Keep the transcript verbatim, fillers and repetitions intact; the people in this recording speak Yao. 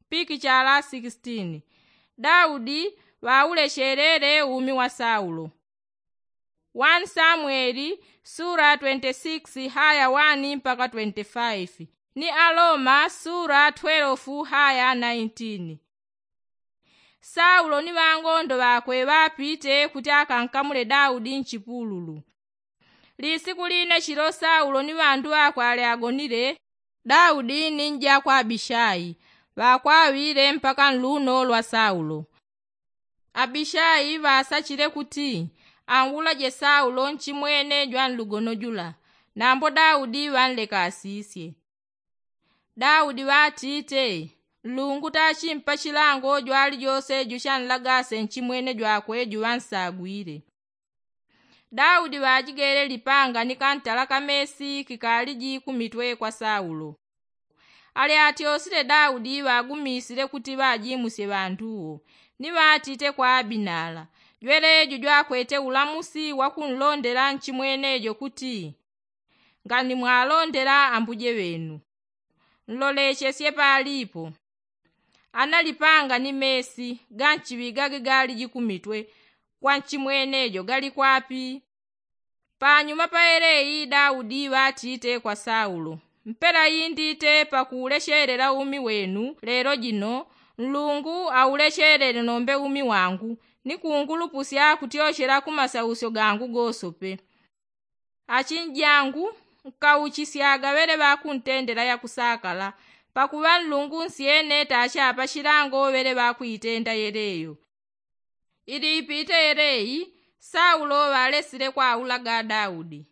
Pikichala sikisitini. Daudi ŵaulecheleele umi wa saulo. Wani samweli sula twenti sikisi haya wani mpaka twenti faifi, ni aloma sula twelefu haya naintini. Saulo ni ŵangondo ŵakwe ŵapite kuti akankamule daudi nchipululu. Lisiku line chilo saulo ni ŵandu ŵakwe ali agonile, daudi ni njakwe abishai ŵakwaŵile mpaka nluno lwa saulo. Abishai ŵasachile kuti anwulaje saulo nchimwene jwa nlugono jula, nambo daudi ŵanleka asisye. Daudi ŵatite, nlungu tachimpa chilango jwalijose juchanlagase nchimwene jwakwe juŵansagwile. Daudi ŵajigele lipanga ni kantala kamesi kikaliji kumitwe kwa saulo. Alyatyosile daudi ŵagumisile kuti ŵajimusye ŵandu wo, ni ŵatite kwa abinala, jwelejo jwakwete ulamusi wa kunlondela nchimwenejo kuti, nganimwalondela ambuje ŵenu, nlolechesye paalipo. Ana lipanga ni mesi ga nchiŵi gage galiji kumitwe kwa nchimwenejo gali kwapi? Panyuma pa yeleyi daudi ŵatite kwa saulo, mpela indite pakuulechelela umi wenu lelo jino, nlungu aulechele nombe umi wangu, ni kungulupusya kutyochela ku masausyo gangu gosope. Achinjangu, nkauchisyaga ŵele ŵakuntendela yakusakala, pakuŵa nlungu nsyene tachi apa chilango ŵele ŵakuitenda yeleyo. Ili ipite yeleyi, saulo ŵalesile kwaulaga daudi.